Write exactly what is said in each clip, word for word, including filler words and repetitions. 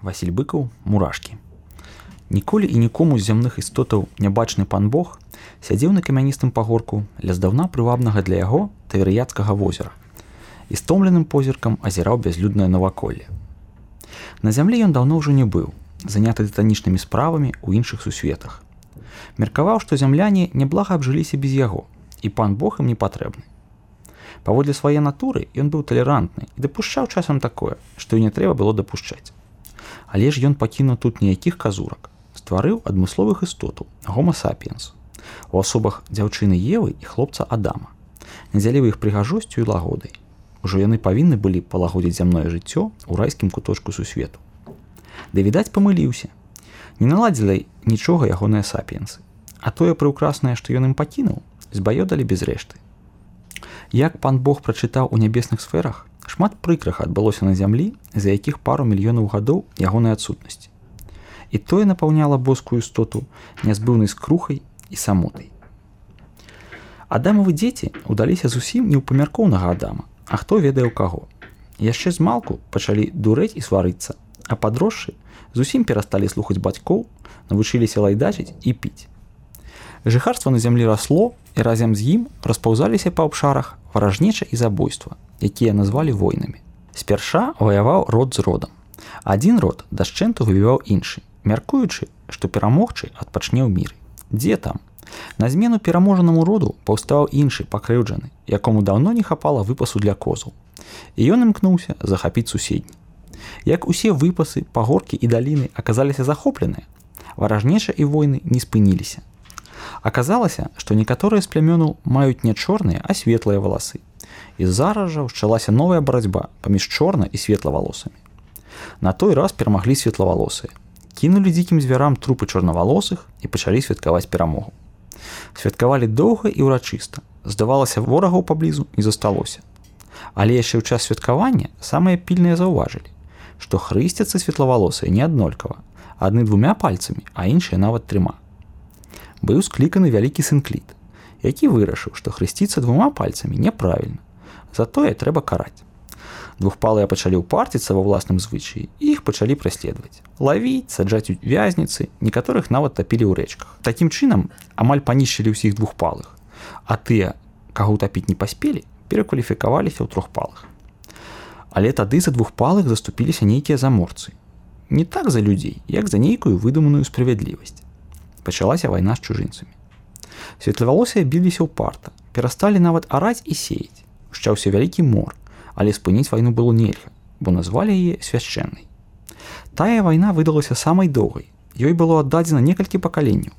Васіль Быкаў, мурашкі. Ніколі і нікому з зямных істотаў нябачны пан Бог сядзеў на камяністым пагорку ля здаўна прывабнага для яго Тавірыяцкага возера і стомленым позіркам азіраў бязлюднае наваколле. На зямлі ён даўно ўжо не быў, заняты тытанічнымі справамі ў іншых сусветах. Меркаваў, што зямляне няблага абжыліся без яго, і пан Бог ім не патрэбны. Паводле свае натуры ён быў талерантны і дапушчаў часам такое, што і не трэба было дапушчаць. Але ж ён пакінуў тут ніякіх казурак, стварыў адмысловых істотаў, гома сапіенс, у асобах дзяўчыны Евы і хлопца Адама, надзяліў іх прыгажосцю і лагодай. Ужо яны павінны былі палагодзіць зямное жыццё ў райскім куточку сусвету. Ды, відаць, памыліўся. Не наладзілі нічога ягоныя сапіенсы, а тое прыўкраснае, што ён ім пакінуў, збаёдалі без рэшты. Як пан Бог прачытаў у нябесных сферах, шмат прыкраха адбылося на зямлі, за якіх пару мільёнаў гадоў ягонай адсутнасці. І тое напаўняла боскую істоту нязбыўнай скрухай і самотай. Адамавы дзеці ўдаліся зусім не ў памяркоўнага Адама, а хто ведае ў каго. Яшчэ змалку пачалі дурэць і сварыцца, а падросшы зусім перасталі слухаць бацькоў, навучыліся лайдачыць і піць. Жыхарства на зямлі расло, і разам з ім распаўзаліся па абшарах варажнеча і забойства, якія назвалі войнамі. Спярша ваяваў род з родам. Адзін род дашчэнту выбіваў іншы, мяркуючы, што перамогчы адпачне ў міры. Дзе там? На змену пераможанаму роду паўстаў іншы пакрыўджаны, якому даўно не хапала выпасу для козаў. І ён імкнуўся захапіць суседні. Як усе выпасы, пагоркі і даліны аказаліся захопленыя, варажнеча і войны не спыніліся. Аказалася, што некаторыя з плямёнаў маюць не чорныя, а светлыя валасы. І зараз жа ўчалася новая барацьба паміж чорна і светлавалосамі. На той раз перамаглі светлавалосыя. Кінулі дзікім звярам трупы чорнавалосых і пачалі святкаваць перамогу. Святкавалі доўга і ўрачыста. Здавалася, ворагаў паблізу не засталося. Але яшчэ ў час святкавання самыя пільныя заўважылі, што хрысцяцца светлавалосыя не аднолькава, адны двумя пальцамі, а іншыя нават трыма. Быў скліканы вялікі сынкліт, які вырашыў, што хрысціцца двума пальцамі няправільна, затое трэба караць. Двухпалыя пачалі ўпарціцца ва ўласным звычаі і іх пачалі праследаваць, лавіць, саджаць у вязніцы, некаторых нават тапілі ў рэчках. Такім чынам амаль панішчылі ўсіх двухпалых, а тыя, каго ўтапіць не паспелі, перакваліфікаваліся ў трохпалых. Але тады за двухпалых заступіліся нейкія заморцы. Не так за людзей, як за нейкую выдуманую справядлівасць. Пачалася вайна з чужынцамі. Светлавалосыя біліся ўпарта, перасталі нават араць і сеяць. Ушчаўся вялікі мор, але спыніць вайну было нельга, бо назвалі яе свяшчэннай. Тая вайна выдалася самай доўгай, ёй было аддадзена некалькі пакаленняў.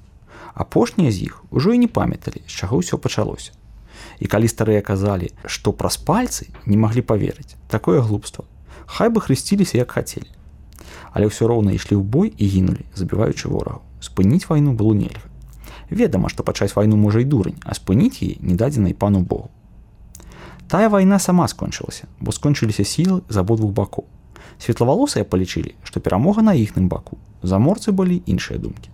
Апошнія з іх ужо і не памяталі, з чаго ўсё пачалося. І калі старыя казалі, што праз пальцы не маглі паверыць, такое глупства, хай бы хрысціліся як хацелі. Але ўсё роўна ішлі ў бой і гінулі, забіваючы ворагаў. Спыніць вайну было нельга. Ведама, што пачаць вайну можа і дурань, а спыніць яе не дадзена і пану Богу. Тая вайна сама скончылася, бо скончыліся сілы з абодвух бакоў. Светлавалосыя палічылі, што перамога на іхным баку. Заморцы былі іншыя думкі.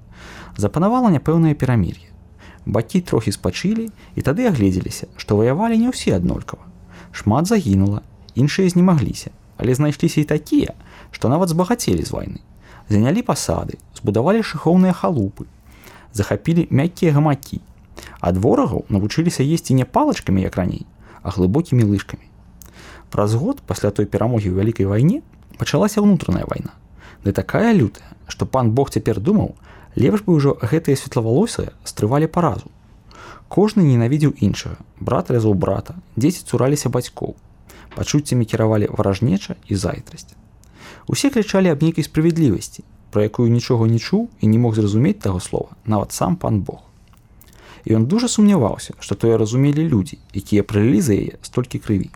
Запанавала няпэўнае перамір'е. Бакі трохі спачылі і тады агледзеліся, што ваявалі не ўсе аднолькава. Шмат загінула, іншыя знемагліся, але знайшліся і такія, што нават збагацелі з вайны. Занялі пасады, збудавалі шыхоўныя халупы, захапілі мяккія гамакі. Ад ворагаў навучыліся есці не палачкамі, як раней, а глыбокімі лыжкамі. Праз год пасля той перамогі ў вялікай вайне пачалася ўнутраная вайна. Ды такая лютая, што пан Бог цяпер думаў, лепш бы ўжо гэтыя светлавалосыя стрывалі паразу. Кожны ненавідзеў іншага, брат рэзаў брата, дзеці цураліся бацькоў, пачуццямі кіравалі варажнеча і зайздрасць. Усе крычалі аб нейкай справядлівасці, пра якую нічога не чуў і не мог зразумець таго слова, нават сам пан Бог. І ён дужа сумняваўся, што тое разумелі людзі, якія прылілі за яе столькі крыві.